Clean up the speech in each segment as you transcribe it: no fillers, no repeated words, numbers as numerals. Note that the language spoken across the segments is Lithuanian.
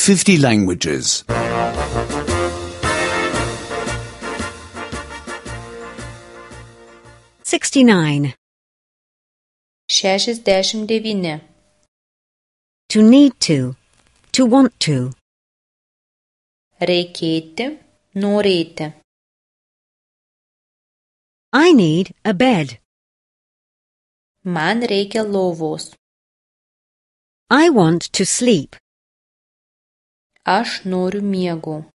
50 languages. 69. 69. To need to want to. Reikėti, norėti. I need a bed. Man reikia lovos. I want to sleep. Aš noriu miego.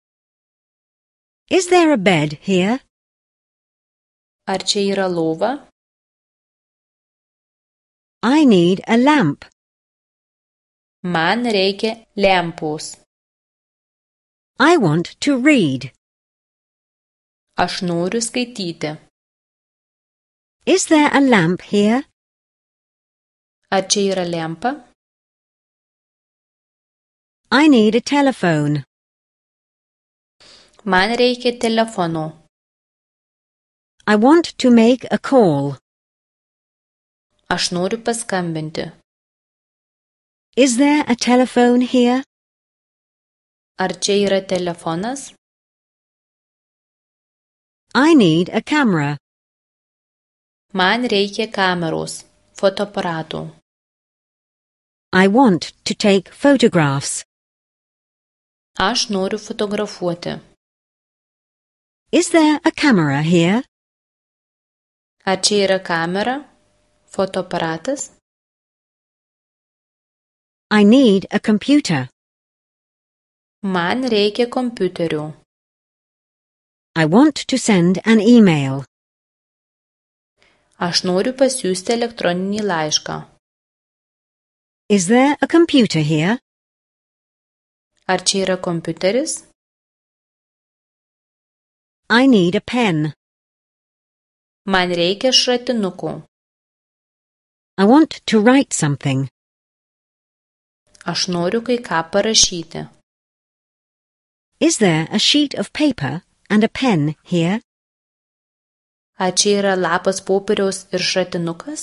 Is there a bed here? Ar čia yra lova? I need a lamp. Man reikia lempos. I want to read. Aš noriu skaityti. Is there a lamp here? Ar čia yra lempa? I need a telephone. Man reikia telefono. I want to make a call. Aš noriu paskambinti. Is there a telephone here? Ar čia yra telefonas? I need a camera. Man reikia kameros, fotoaparato. I want to take photographs. Aš noriu fotografuoti. Is there a camera here? Ar čia yra kamera, fotoaparatas? I need a computer. Man reikia kompiuterio. I want to send an email. Aš noriu pasiųsti elektroninį laišką. Is there a computer here? Ar čia yra kompiuteris? I need a pen. Man reikia šratinuko. I want to write something. Aš noriu kai ką parašyti. Is there a sheet of paper and a pen here? Ar čia yra lapas popieriaus ir šratinukas?